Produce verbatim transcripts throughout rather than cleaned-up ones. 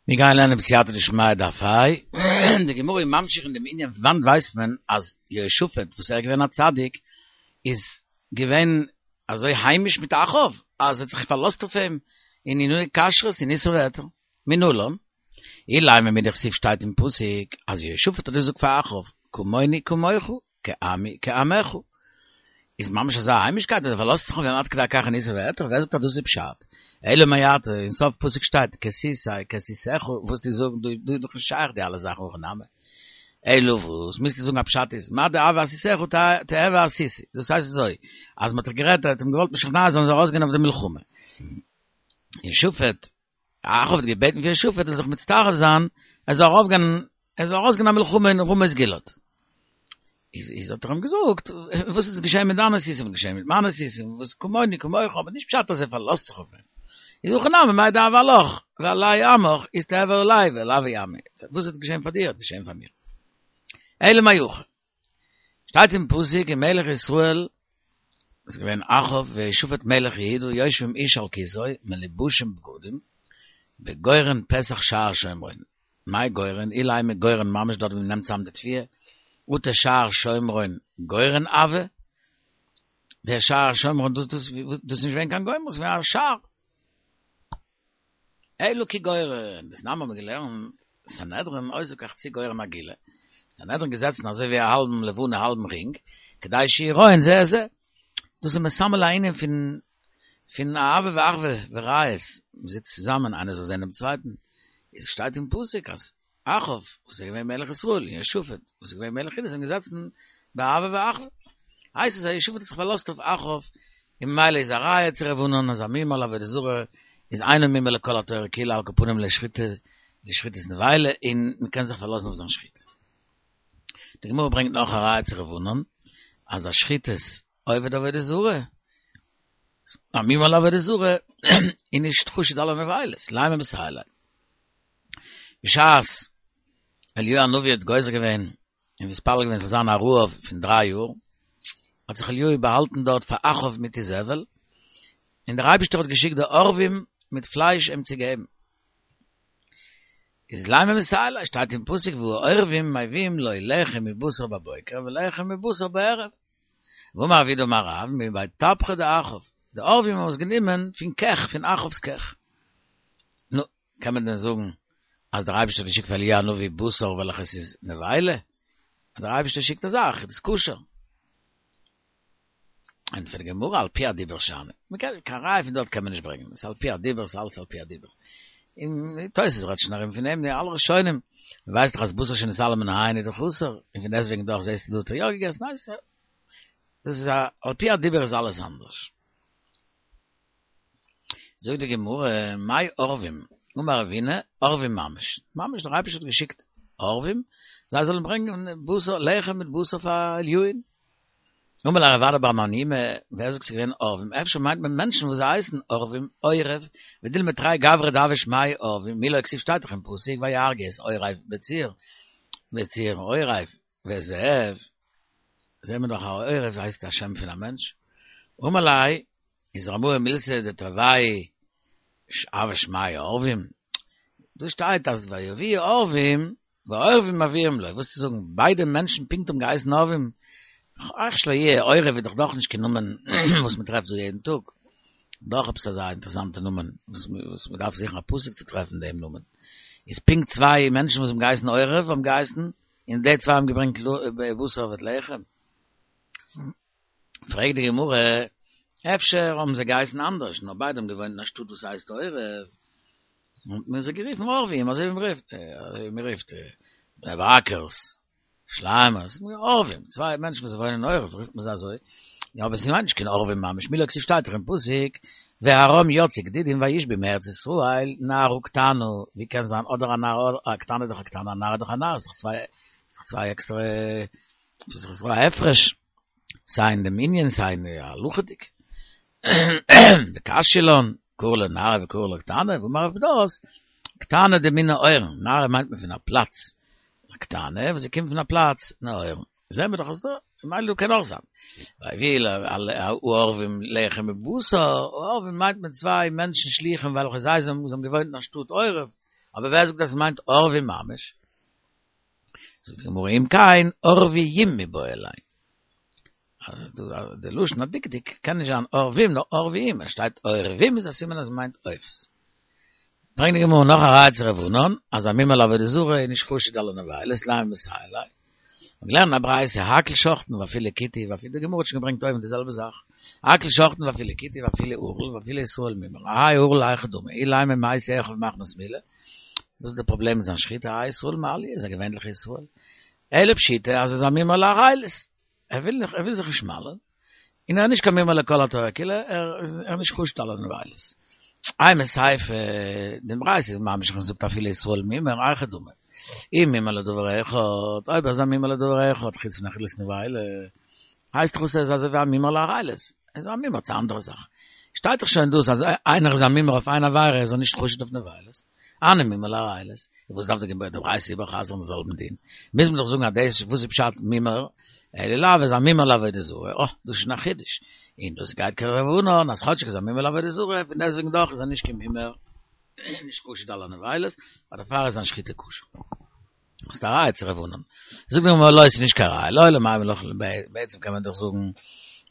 מיר גייען לערנען בסייעתא דשמיא דף ה', די גמרא איז ממשיך אין דעם ענין פון וואנעט ווייסט מען אז יהושפט וואס ער איז געווען א צדיק איז געווען אזוי היימיש מיט אחאב אז ער האט זיך פארלאזט אויף אים אין עניני כשרות אין איסור והיתר, מנלן, אילימא מדכתיב שטייט אין פסוק אז יהושפט האט געזאגט פאר אחאב כמוני כמוך כעמי כעמך, איז ממש אזא היימישקייט אז ער פארלאזט זיך אויף אים עד כדי כך אין איסור והיתר? ווער זאגט אז דאס איז פשט? אלא מעתה, אין סוף פסוק שטייט כסיסי כסיסך, וואס די זאגן דא דא איז דאך נישט שייך די אלע זאכן הכי נמי. אלא וואס מוזטו זאגן א פשט איז מה דהוה אסיסך תהוי אסיסי, דאס הייסט אזוי אז מען האט זיך גערעדט ער האט אים געוואלט משכנע זיין ער זאל ארויסגיין אויף די מלחמה. יהושפט, אחאב האט געבעטן פון יהושפט ער זאל זיך מצטרף זיין ער זאל ארויפגיין ער זאל ארויסגיין א מלחמה אין רמות גלעד. איז איז האט ער אים געזאגט, וואס איז געשען מיט דיינע סוסים, וואס איז געשען מיט מיינע סוסים, וואס כמוני כמוך, אבער נישט פשט אז ער פארלאזט זיך אויף אים. איז הכי נמי מאי דהוה עלך ועלי עמך איז תהוי עלי ועל עמי, וואס איז געשען פאר דיר האט געשען פאר מיר. אלא מאי הכא. שטייט אין פסוק ומלך ישראל איז געווען אחאב ויהושפט מלך יהודה יושבים איש על כסאו מלובשים בגדים בגורן פתח שער שומרון מאי גורן אילימא גורן ממש דארט ווי מ'נעמט צאם די תבואה אטו שער שומרון גורן הוה דער שער שומרון דאס דאס דאס איז נישט געווען קיין גורן ס'איז געווען א שער אלא כגורן דתנן האבן מיר געלערנט סנהדרין עושה כחצי גורן עגולה סנהדרין געזעצן אזוי ווי א האלבן לבנה האלבן רינג כדי שיראון זה את זה דאס איז מסמל א ענין פון פון אהבה ואחווה ורעות, מען זיצט צוזאמען איינער זאל זען דעם צווייטן, עס שטייט אין פסוק אז אחאב וואס איז געווען מלך ישראל און יהושפט וואס איז געווען מלך יהודה זענען געזעצן באהבה ואחווה, הייסט עס אז יהושפט האט זיך פארלאזט אויף אחאב און ממילא איז א ראיה צו ר' ענן אז א מומר לעבודה זרה איז אינו מומר לכל התורה כולה על כל פנים לשחיטה לשחיטת נבילה און מען קען זיך פארלאזן אויף זיין שחיטה. די גמרא ברענגט נאך א ראיה צו ר' ענן אז א שחיטת עובד עבודה זרה, א מומר לעבודה זרה, איז נישט חשוד על הנבילות, לימא מסייע ליה. בשעת אליהו הנביא האט גוזר געווען און מתפלל געווען ס'זאל זיין א רעב פון דריי יאר, האט זיך אליהו באהאלטן דארט פאר אחאב מיט איזבל, און דער אייבערשטער האט געשיקט די עורבים מיט פלייש אים צו געבן. איז לימא מסייע ליה, שטייט אין פסוק והעורבים מביאים לו לחם מבשר בבוקר ולחם מבשר בערב. ואמר רב יהודה אמר רב מבי טבחי דאחאב, די עורבים האבן עס גענומען פון קעך, פון אחאב'ס קעך. נו, קען מען דען זאגן אז דער אייבערשטער האט געשיקט פאר אליהו הנביא בשר וועלכעס איז נבילה? אז דער אייבערשטער שיקט א זאך איז דאס כשר. ענטפערט די גמרא על פי הדיבור שאני, מען קען, קיין ראיה פון דארט קען מען נישט ברענגען, עס איז על פי הדיבור, עס איז אלץ על פי הדיבור. און תוס' רעדט שוין ארום פון דעם, די אלע ראשונים, מען ווייסט דאך אז בשר שנתעלם מן העין איז דאך אסור, און פון דעסטוועגן דאך זעסטו דא האט ער יא געגעסן, ניין, דאס איז א, על פי הדיבור איז אלעס אנדערש. זאגט די גמרא, מאי עורבים, אמר רבינא, עורבים ממש, ממש דער אייבערשטער האט געשיקט עורבים, זיי זאלן ברענגען בשר, לחם מיט בשר פאר אליהו'ן. אמר ליה רב אדא בר מניומי, ווער זאגט ס'איז געווען עורבים, אפשר מיינט מען מענטשן וואס זיי הייסן עורבים, עורב, ודילמא תרי גברי דהוו שמייהו עורבים, מי לא כתיב שטייט דאך אין פסוק ויהרגו את עורב בצור, בצור עורב, ואת זאב, זעהן מיר דאך אז עורב הייסט א שם פון א מענטש, אמר ליה, איז רמאי מילתא דתרוייהו הוו שמייהו עורבים, דא שטייט אז ויביאו עורבים והעורבים מביאים לו, וואס צו זאגן, ביידע מענטשן פונקט האבן געהייסן עורבים, איך שלא יהיה, עורב איז דאך דאך נישט קיין נאמען וואס מען טרעפט דא יעדן טאג, דאך עפעס אזא אינטערעסאנטע נאמען וואס מען דארף זוכן א פסוק צו טרעפן דעם נאמען, איז פונקט צוויי מענטשן וואס האבן געהייסן עורב האבן געהייסן, און די צוויי האבן געברענגט בשר מיט לחם. פרעגט די גמרא, אפשר האבן זיי געהייסן אנדערש, נאר ביידע האבן געוואוינט אין א שטאט וואס הייסט עורב, האט מען זיי גערופן עורבים, אזוי ווי מען רופט, אזוי ווי מען רופט בני ברק'ערס, ירושלימ'ערס, עורבים, צוויי מענטשן וואס וואוינען אין עורב רופט מען זיי אזוי, יא אבער ס'מיינט נישט קיין עורבים ממש, מי לא כתיב שטייט דאך אין פסוק, וארם יצאו גדודים וישבו מארץ ישראל נערה קטנה, ווי קען זיין אדער א נערה, א קטנה איז דאך א קטנה, א נערה איז דאך א נער, ס'איז דאך צוויי, ס'איז דאך צוויי עקסטערע, ס'איז דאך א הפרש. סיי אין דעם ענין סיי אין הלכה'דיג. וקשיא לן, קרי לה נערה וקרי לה קטנה, ואמר רב פדת, קטנה דמן נהורין, נערה מיינט מען פון א פלאץ, א קטנה וואס זי קומט פון א פלאץ נהורין. זעהן מיר דאך אז דא, ממילא דא קען אויך זיין. ויביאו העורבים לחם ובשר, עורבים מיינט מען צוויי מענטשן שלוחים וועלכע זיי זענען, זיי האבן געוואוינט אין א שטאט עורב, אבער ווער זאגט אז ס'מיינט עורבים ממש? זאגט די גמרא אם כן עורביים מיבעי ליה. די לשון הדקדוק קען נישט זיין עורבים נאר עורביים, עס שטייט עורבים איז א סימן אז מ'מיינט עופות. ברענגט די גמרא נאך א ראיה צו רב ענן אז א מומר לעבודה זרה איז נישט חשוד על הנבילות לימא מסייע ליה. מ'האט געלערנט א ברייתא הכל שוחטין ואפילו כותי ואפילו די גמרא האט שוין געברענגט אויבן די זעלבע זאך הכל שוחטין ואפילו כותי ואפילו ערל ואפילו ישראל מומר האי ערל היכי דמי אילימא מתו אחיו מחמת מילה וואס איז די פראבלעם מיט זיין שחיטה האי ישראל מעליא איז א געווענליכע ישראל אלא פשיטא אז ער איז א מומר לערלות ער וויל ער וויל זיך נישט מל'ען און ער איז נישט קיין מומר לכל התורה כולה ער איז נישט חשוד על הנבילות אימא סיפא די ברייתא איז ממשיך און זאגט אפילו ישראל מומר היכי דמי אי מומר לדבר אחד אויב ער איז א מומר לדבר אחד חוץ פון אכילת נבילה הייסט דאך עס איז אזוי ווי א מומר לערלות ער איז א מומר צו א אנדערע זאך שטייט דאך שוין דאס אז איינער איז א מומר אויף איין עבירה איז ער נישט חשוד אויף נבילות הני מומר לערלות וואס דארף די ברייתא איבערחזר'ן די זעלבן דין מוז מען דאך זאגן אז דאס וואס איז פשט מומר אלא לאו איז א מומר לעבודה זרה אה דאס איז שוין א חידוש און דאס גייט כרב ענן אז כאטשיג איז א מומר לעבודה זרה פון דעסטוועגן דאך איז ער נישט קיין מומר נישט חשוד על הנבילות אבער דערפאר איז זיין שחיטה כשר. האסט א ראיה צו רב ענן. זאגט די גמרא לא ס'איז נישט קיין ראיה לעולם אימא לך בעצם קען מען דאך זאגן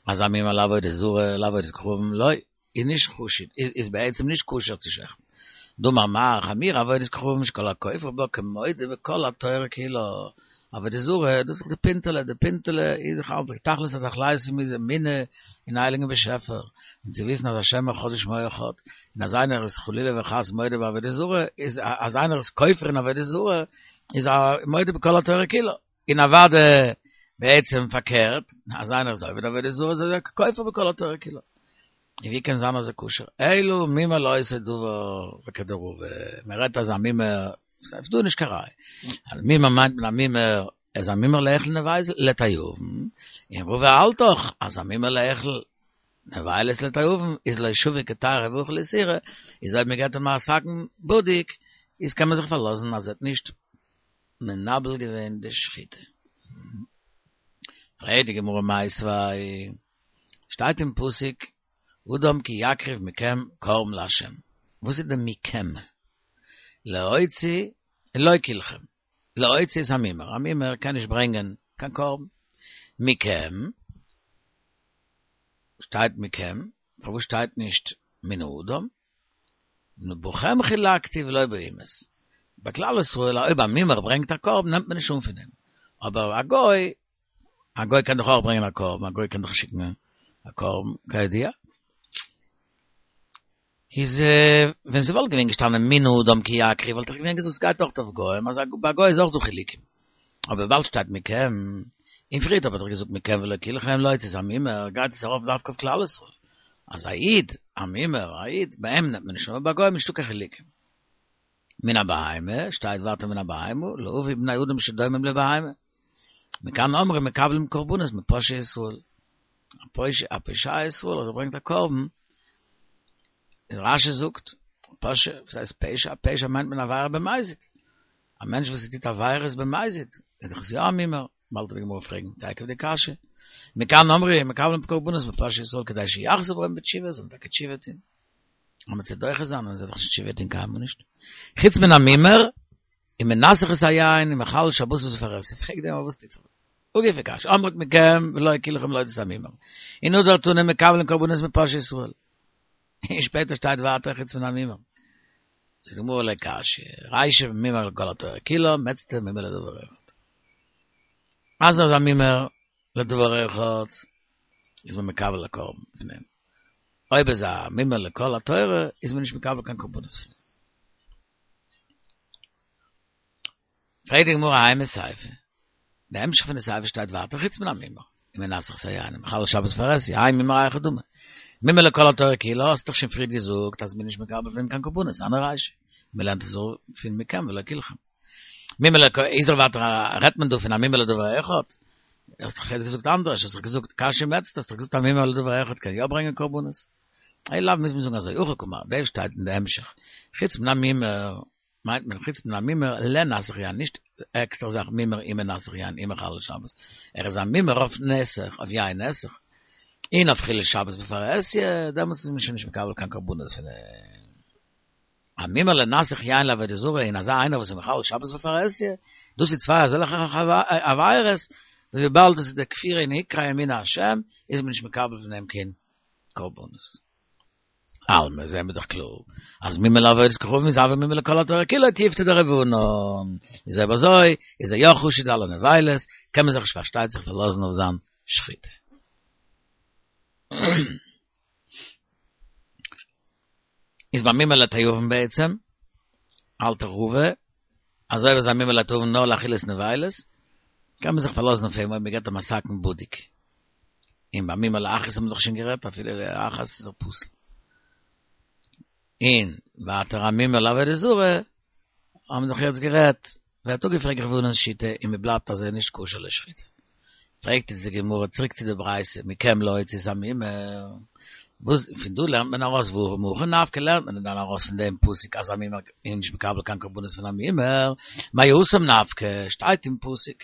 אז א מומר לעבודה זרה לעבודת כוכבים לא איז נישט חשוד איז בעצם נישט כשר צו שעכטן. דאמר מר חמורה עבודת כוכבים שכל הכופר בה כמודה בכל התורה כולה עבודה זרה דאס איז דאך די פינטעלע די פינטעלע איז דאך אלץ די תכלית התכליתים איז אמונה אין הייליגן באשעפער און צו וויסן אז השם אחד ושמו אחד און אז איינער איז חלילה וחס מודה בעבודה זרה איז אז איינער איז כופר אין עבודה זרה איז א מודה בכל התורה כולה און אוודאי בעצם פארקערט אז איינער איז עובד עבודה זרה איז ער כופר בכל התורה כולה און ווי קען זיין אז ס'איז כשר? אלא מומר לאותו דבר וכדרבא, מען רעדט אז א מומר, ס'איז דא נישט קיין ראיה, אז מומר מיינט מען א מומר, איז א מומר לאכול נבילות לתיאבון, און רבא האלט דאך אז א מומר לאכול נבילות לתיאבון איז לא שביק קדירא ואכיל איסורא, איז אויב מען געט אים א סכין בדוק, איז קען מען זיך פארלאזן אז ער האט נישט מנבל געווען די שחיטה. פרעגט די גמרא מיתיבי שטייט אין פסוק אדם כי יקריב מכם קרבן לה', וואס איז די מכם? להוציא לא כלכם, להוציא את המומר, א מומר קען נישט ברענגען קיין קרבן, מכם, שטייט מכם, פארוואס שטייט נישט מן האדם? בכם חילקתי ולא באומות, ביי כלל ישראל אויב א מומר ברענגט א קרבן נעמט מען נישט אן פון אים, אבער א גוי א גוי קען דאך אויך ברענגען א קרבן, א גוי קען דאך שיקן א קרבן, כידוע. איז ווען ס'וואלט געווען געשטאנען מן האדם כי יקריב וואלט איך געווען געזאגט ס'גייט אויך אויף גוים, אז ביי א גוי איז אויך דא חילוקים. אבער וויבאלד שטייט מכם, און פריערט האב איך דאך געזאגט מכם ולא כלכם להוציא את המומר, גייט עס ארויף דווקא אויף כלל ישראל. אז א איד, א מומר, א איד, ביי אים נעמט מען נישט אן, אבער ביי גוים נישטא קיין חילוקים. מן הבהמה, שטייט ווייטער מן הבהמה, להביא בני אדם שדומים לבהמה. מכאן אמרו מקבלים קרבנות מפושעי ישראל. א פושע ישראל אז ער ברענגט א קרבן, איז רשי זאגט, פושע, וואס הייסט פשע? פשע מיינט מען עבירה במזיד. א מענטש וואס טוט עבירות במזיד, איז דאך עס יא א מומר. באלד וועט די גמרא פרעגן תיכף די קשיא. מכאן אמרו מקבלים קרבנות מפושעי ישראל כדי שיחזרו בהם בתשובה, זאלן טאקע תשובה טון. אבער צו דוחה זיין אז זיי דאך נישט תשובה טון קיינמאל נישט. חוץ מן המומר, ומנסך את היין, ומחלל שבתות בפרהסיא. פרעגט די גמרא וואס טוט זיך דא? הא גופא קשיא, אמרת מכם ולא כלכם להוציא את המומר. און הדר תני מקבלים קרבנות מפושעי ישראל. און שפעטער שטייט ווייטער חוץ מן המומר. זאגט די גמרא לא קשיא, רישא מומר לכל התורה כולה, מיצתא מומר לדבר אחד. אז ער איז א מומר לדבר אחד, איז מען מקבל א קרבן פון אים. אויב איז א מומר לכל התורה, איז מען נישט מקבל קיין קרבנות פון אים. פרעגט די גמרא אימא סיפא, די המשך פון די סיפא שטייט ווייטער חוץ מן המומר, ומנסך את היין, ומחלל שבת בפרהסיא, האי מומר היכי דמי. מומר לכל התורה כולה, האסט דאך שוין פריער געזאגט אז מ'איז נישט מקבל פון אים קיין קרבנות, הני רישא, מ'לערנט עס פון מכם ולא כלכם. מומר לכל, איז דאך ווייטער רעדט מען דא פון א מומר לדבר אחד, האסט דאך יעצט געזאגט אנדערש, האסט דאך געזאגט קשיא מיצתא, האסט דאך געזאגט א מומר לדבר אחד קען יא ברענגען קרבנות. אלא לאו מוז מען זאגן אזוי, הכי קאמר, דאס שטייט אין די המשך, חוץ מן המומר, מיינט מען חוץ מן המומר לנסך יין, נישט עקסטער זאך מומר ומנסך יין ומחלל שבת, ער איז א מומר אויף נסך, אויף יין נסך, און אויף חילול שבת בפרהסיא, דעמאלטס איז מען שוין נישט מקבל קיין קרבנות פון אים. א מומר לנסך יין לעבודה זרה און אזא איינער וואס איז מחלל שבת בפרהסיא, דאס איז צוויי אזעלכע עבירות, וויבאלד דאס איז די כפירה אין עיקרי אמונת השם, איז מען נישט מקבל פון דעם קיין קרבנות. אלמא, זעהן מיר דאך קלאר, אז מומר לעבודת כוכבים איז הוי מומר לכל התורה כולה תיובתא דרבנן. איז אויב אזוי, איז ער יא חשוד אלע נבילות, קען מען זיך נישט פארשטייט זיך פארלאזן אויף זיין שחיטה. איז ביי מומר לתיאבון בעצם, האלט רבא, אז אויב איז א מומר לתיאבון נאר לאכילת נבילות, קען מען זיך פארלאזן אויף אים אויב מען געבט אים א סכין בדוק. און ביי מומר לאחת האט מען דאך שוין גערעדט אפילו לאחת איז ער פסול. און ווייטער א מומר לעבודה זרה האבן מיר דאך יעצט גערעדט, ווערט אפגעפרעגט רבנן'ס שיטה און מען בלייבט אז ער איז נישט כשר לשחיטה. פרעגט איצט די גמרא צוריק צו די ברייתא מכם להוציא את המומר, וואס פון דא לערנט מען ארויס והא מהכא נפקא לערנט מען דען ארויס פון דעם פסוק אז א מומר איז נישט מקבל קיין קרבנות פון א מומר, מאי התם נפקא, שטייט אין פסוק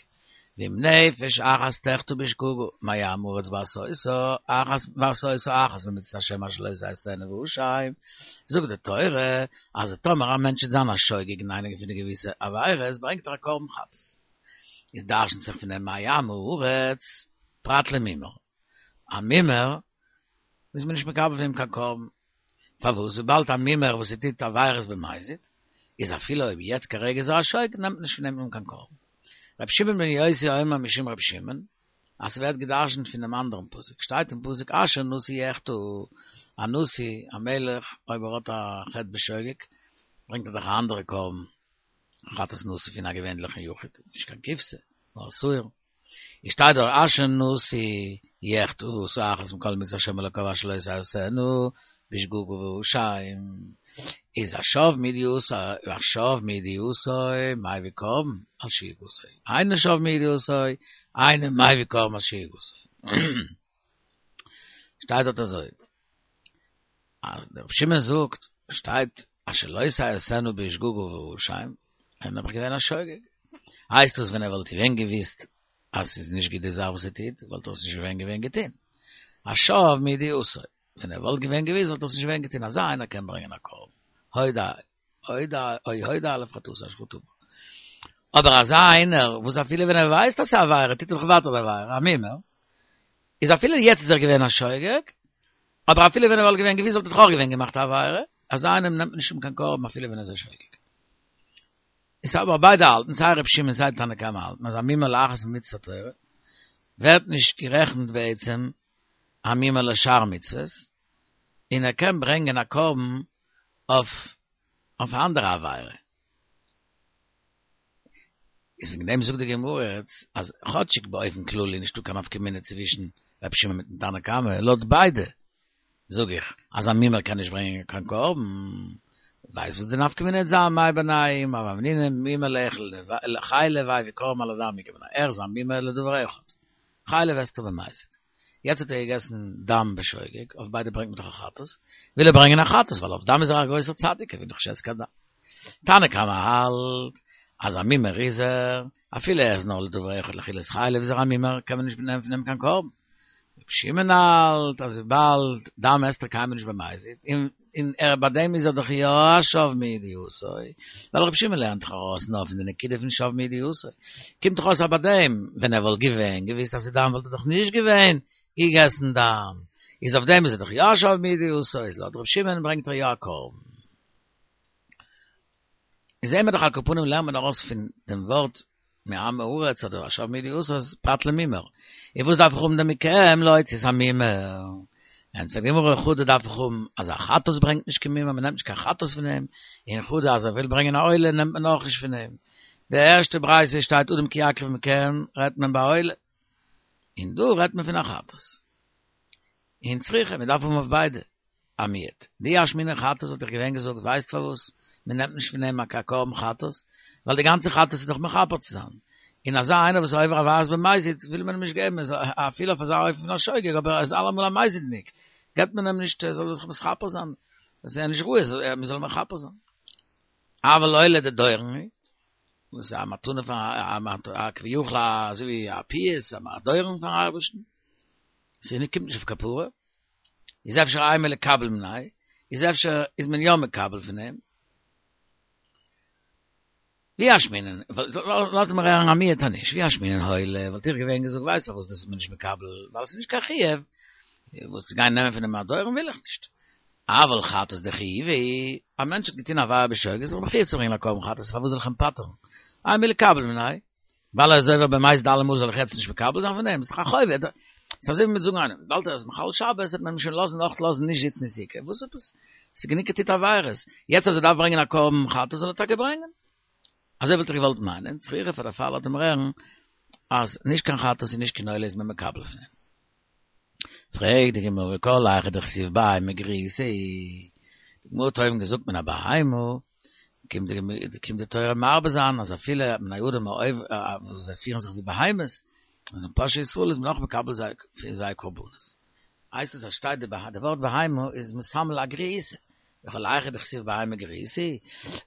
ואם נפש אחת תחטא בשגגה מעם הארץ בעשותה אחת בעשותה אחת ממצות השם אשר לא תעשינה ואשם, זאגט די תורה אז טאמער א מענטש וועט זיין א שוגג אין איינע פון די געוויסע עבירות ברענגט ער א קרבן חטאת, איז דרש'נט זיך פון דעם מעם הארץ פרט למומר, א מומר איז מען נישט מקבל פון אים קיין קרבן, פארוואס? וויבאלד א מומר וואס ער טוט עבירות במזיד, איז אפילו אויב יעצט כרגע איז ער א שוגג נעמט מען נישט פון אים אן קיין קרבן. רבי שמעון בן יוסי אומר משום רבי שמעון, אז ס'ווערט גע'דרש'נט פונעם אנדערן פסוק, שטייט אין פסוק אשר נשיא יחטא, א נשיא, א מלך, אויב ער האט א חטא בשוגג, ברענגט ער דאך א אנדערע קרבן, חטאת נשיא פון א געווענליכן יחיד, נישט קיין כבשה, נאר א שעיר. איז שטייט דארט אשר נשיא יחטא עשה אחת מכל מצות השם אלוקיו אשר לא תעשינה בשגגה ואשם איז השב מידיעתו השב מידיעתו מביא קרבן על שגגתו אינו שב מידיעתו אינו מביא קרבן על שגגתו שטייט דארט אזוי אז דער רבי שמעון זאגט שטייט אשר לא תעשינה בשגגה ואשם איז נעבעך געווען א שוגג הייסט דאס ווען ער וואלט געווען געוויסט אז ס'איז נישט גוט די זאך וואס ער טוט, וואלט ער עס נישט געווען געווען געטון. השב מידיעתו, ווען ער וואלט געווען געוויסט וואלט ער עס נישט געווען געטון, אזא איינער קען ברענגען א קרבן, הודה, הודה, או הודה עליו חטאתו אשר חטא בה. אבער אזא איינער וואס אפילו ווען ער ווייסט אז ס'איז א עבירה טוט ער דאך ווייטער די עבירה, א מומר, איז אפילו יעצט איז ער געווען א שוגג, אבער אפילו ווען ער וואלט געווען געוויסט וואלט ער דאך אויך געווען געמאכט א עבירה, אזא איינעם נעמט מען נישט אן קיין קרבן אפילו ווען ער איז א שוגג. איז אבער ביידע האלטן, סיי ר' שמעון סיי תנא קמא האלטן אז א מומר לאחת ממצות התורה ווערט נישט גערעכנט בעצם א מומר לשאר מצוות, און ער קען ברענגען א קרבן אויף אויף א אנדערע עבירה. איז וועגן דעם זאגט די גמרא יעצט אז כאטשיג באופן כללי נישטא קיין נפקא מינה צווישן ר' שמעון מיטן תנא קמא, לויט ביידע זאג איך אז א מומר קען נישט ברענגען קיין קרבן, ווייסט וואס די נפקא מינה וועט זיין מאי בינייהו הוה אמינא מומר לאכול חלב הביא קרבן על הדם איכא בינייהו ער איז א מומר לדבר אחד חלב הסתר במזיד יעצט האט ער געגעסן דם בשוגג אויף ביידע ברענגט מען דאך א חטאת וויל ער ברענגען א חטאת ווייל אויף דם איז ער א גרויסער צדיק ער וויל דאך נישט עסן קיין דם תנא קמא האלט אז א מומר איז ער אפילו ער איז נאר לדבר אחד לאכילת חלב איז ער א מומר קען מען נישט נעמען פון אים קיין קרבן רבי שמעון האלט אז וויבאלד דם עסט ער קיינמאל נישט במזיד, און און ער ביי דעם איז ער דאך יא א שב מידיעתו, ווייל רבי שמעון לערנט דאך ארויס נאר פון די נקודה פון שב מידיעתו, קומט דאך אויס אז ביי דעם ווען ער וואלט געווען געוויסט אז ס'איז דם וואלט ער דאך נישט געווען געגעסן דם, איז אויף דעם איז ער דאך יא א שב מידיעתו, איז לויט רבי שמעון ברענגט ער יא א קרבן. איז זעהן מיר דאך על כל פנים לערנט מען ארויס פון דעם ווארט מעם הארץ אדער השב מידיעתו אז פרט למומר. און וואס דארף איך האבן דעם מכם להוציא את המומר? ענטפערט די גמרא חדא דארף איך האבן אז א חטאת ברענגט נישט קיין מומר, מ'נעמט נישט קיין חטאת פון אים, און חדא אז ער וויל ברענגען א עולה נעמט מען אויך נישט פון אים. די ערשטע ברייתא שטייט אדם כי יקריב מכם רעדט מען ביי עולה, און דא רעדט מען פון א חטאת. און צריכא, מ'דארף האבן אויף ביידע. א מיעוט. דאי אשמעינן חטאת וואלט איך געווען געזאגט ווייסט פארוואס מען נעמט נישט פון אים א קרבן חטאת? ווייל די גאנצע חטאת איז דאך מכפר צו זיין. און אזא איינער וואס איז עובר עבירות במזיד וויל מען אים נישט געבן אפילו אויף אזא אופן פון א שוגג אבער ער איז אלעמאל א מזיד'ניק געבט מען אים נישט ער זאל זיך מתכפר זיין. דאס איז נישט ראוי מען זאל מכפר זיין. אבל עולה דדורון היא, דאס איז א מתנה פאר א כביכול אזוי ווי א פיוס א דורון פארן אייבערשטן. ס'קומט נישט אויף כפרה. איז אפשר אימא ליקבל מיניה, איז אפשר איז מען יא מקבל פון אים, ואי אשמעינן, לאז מיר הערן א מיעוט נישט, ואי אשמעינן עולה, וואלט איך געווען געזאגט ווייסט פארוואס דאס איז מען נישט מקבל, ווייל עס איז נישט קיין חיוב, וואס צו גיין נעמען פון דעם אדורן וויל איך נישט. אבל חטאת דחייבא, א מענטש האט געטון עבירה בשוגג, איז ער מחויב צו ברענגען א קרבן חטאת, פארוואס זאל איך אים פטר'ן? אימא ליקבל מיניה, ווייל ער איז עובר במזיד אלעמאל זאל איך יעצט נישט מקבל זיין פון אים? ס'איז דאך א חוב, ס'איז אזוי ווי מ'וועט זאגן איינעם, וויבאלד ער איז מחלל שבת וועט מען אים שוין לאזן אויך לאזן נישט זיצן אין סוכה, וואס עפעס? ס'איז גענוג ער טוט עבירות, יעצט אז ער דארף ברענגען א קרבן חטאת זאל ער טאקע ברענגען. אזוי וואלט איך געוואלט מיינען, צריכא פאר דערפאר לאזט מען הערן אז נישט קיין חטאת און נישט קיין עולה איז מען מקבל פון אים. פרעגט די גמרא כל היכא דכתיב בהמה גריעותא, די גמרא האט אויבן געזאגט מן הבהמה, קומט די קומט די תורה מרבה זיין אז אפילו בני אדם וואס זיי פירן זיך ווי בהמות, אז אין פושעי ישראל איז מען אויך מקבל זיי פון זייער קרבנות. הייסט עס אז שטייט די די ווארט בהמה איז מסמל א גריעותא, וכל היכא דכתיב בהמה גריעותא,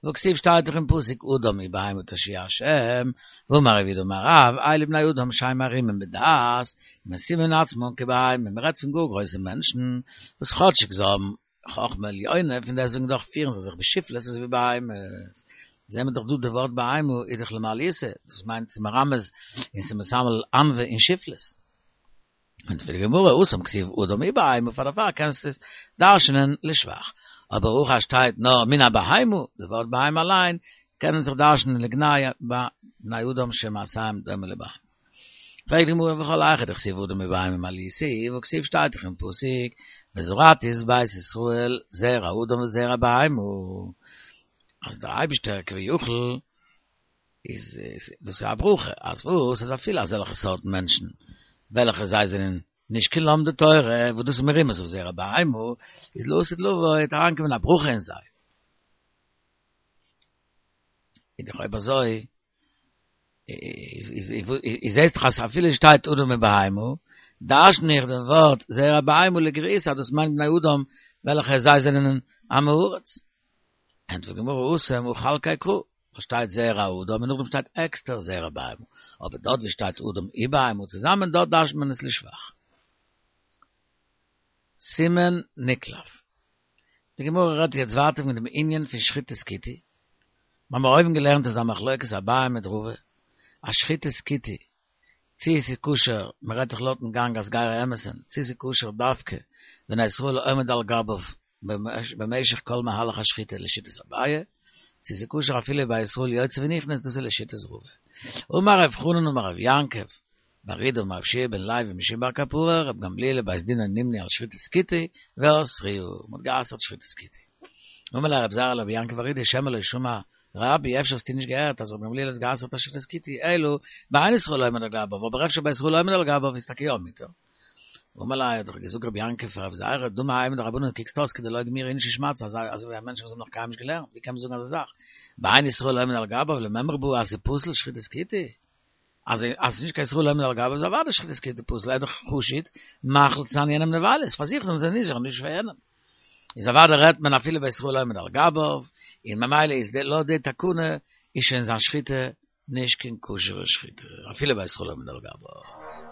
והכתיב שטייט דאך אין פסוק אדם מבהמה תושיע השם, ואמר רב יהודה אמר רב, אלו בני אדם שהם ערומים בדעת, ומשימין עצמם כבהמה, מען רעדט פון גאר גרויסע מענטשן, וואס כאטשיג זיי האבן חכמה עליונה, פון דעסטוועגן דאך פירן זיי זיך בשפלות אזוי ווי בהמות. זעהן מיר דאך דא די ווארט בהמה איז דאך למעליותא, דאס מיינט ס'איז מרמז און ס'איז מסמל ענווה און שפלות. ענטפערט די גמרא, התם כתיב אדם ובהמה, פאר דערפאר קענסטו עס דרש'נען לשבח. אבער הכא שטייט נאר מן הבהמה, די ווארט בהמה אליין קען מען זיך דרש'נען לגנאי בני אדם שמעשיהם דומה לבהמה. פרעגט די גמרא וכל היכא דכתיב אדם ובהמה מעליותא, והכתיב שטייט דאך אין פסוק וזרעתי את בית ישראל זרע אדם וזרע בהמה, אז דער אייבישטער כביכול איז דאס איז א ברכה, אז וואס אז אפילו אזעלכע סארט מענטשן וועלכע זיי זענען נישט קיין לומדי תורה, וואס דאס איז מרומז אויף זרע בהמה, איז לעתיד לבוא וועט אריינקומען א ברכה אין זיי. איז דאך אויב אזוי, איז איז זעסט דאך אז אפילו שטייט אדם ובהמה, דרש'ן איך דעם ווארט זרע בהמה לגריעותא אז דאס מיינט בני אדם וועלכע זיי זענען עם הארץ. ענטפערט די גמרא התם הא חלקיה קרא, דא שטייט זרע אדם און נאכדעם שטייט עקסטער זרע בהמה, אבער דארט ווי שטייט אדם ובהמה צוזאמען דארט דרש'נט מען עס לשבח. סימן נקלף. די גמרא רעדט יעצט ווייטער פון דעם ענין פון שחיטת כותי, מיר האבן אויבן געלערנט איז א מחלוקת אביי מיט רבא, אז שחיטת כותי, צי עס איז כשר, מען רעדט דאך לויטן גאנג אז גרי אמת'ן, צי עס איז כשר דווקא ווען א ישראל עומד על גביו במשך כל מהלך השחיטה לשיטת אביי, צי עס איז כשר אפילו ביי ישראל יוצא ונכנס דאס איז לשיטת רבא. אמר רב חנן אמר רב יעקב בר אידי אמר רבי יהושע בן לוי משום בר קפרא ר' גמליאל ובית דינו נמנו על שחיטת כותי ואסרוה, מען האט גע'אסר'ט שחיטת כותי. אמר ליה רב זירא לרב יעקב בר אידי שמא לא שמע רבי אפשר האסטו נישט געהערט אז ר' גמליאל האט גע'אסר'ט א שחיטת כותי אלא באין ישראל עומד על גביו אבער אפשר ביי ישראל עומד על גביו איז טאקע יא מותר. אמר ליה האט דאך געזאגט רבי יעקב פאר רב זירא דמי האי מדרבנן קוקסט אויס כדלא גמירי איניש שמעתתא אזוי אזוי ווי א מענטש וואס האט נאך קיינמאל נישט געלערנט ווי קען מען זאגן אזא זאך באין ישראל עומד על גביו למימרא בעי אז ס'איז פסול שחיטת כותי אז אז ס'איז נישט קיין ישראל עומד על גביו איז אוודאי שחיטת כותי פסול ער איז דאך חשוד מאכיל צו זיין יענעם נבילות פאר זיך זענען זיי נזהר נישט פאר יענעם איז אוודאי רעדט מען אפילו ביי ישראל עומד על גביו און ממילא איז די לויט די תקנה איז שוין זיין שחיטה נישט קיין כשר'ע שחיטה אפילו ביי ישראל עומד על גביו.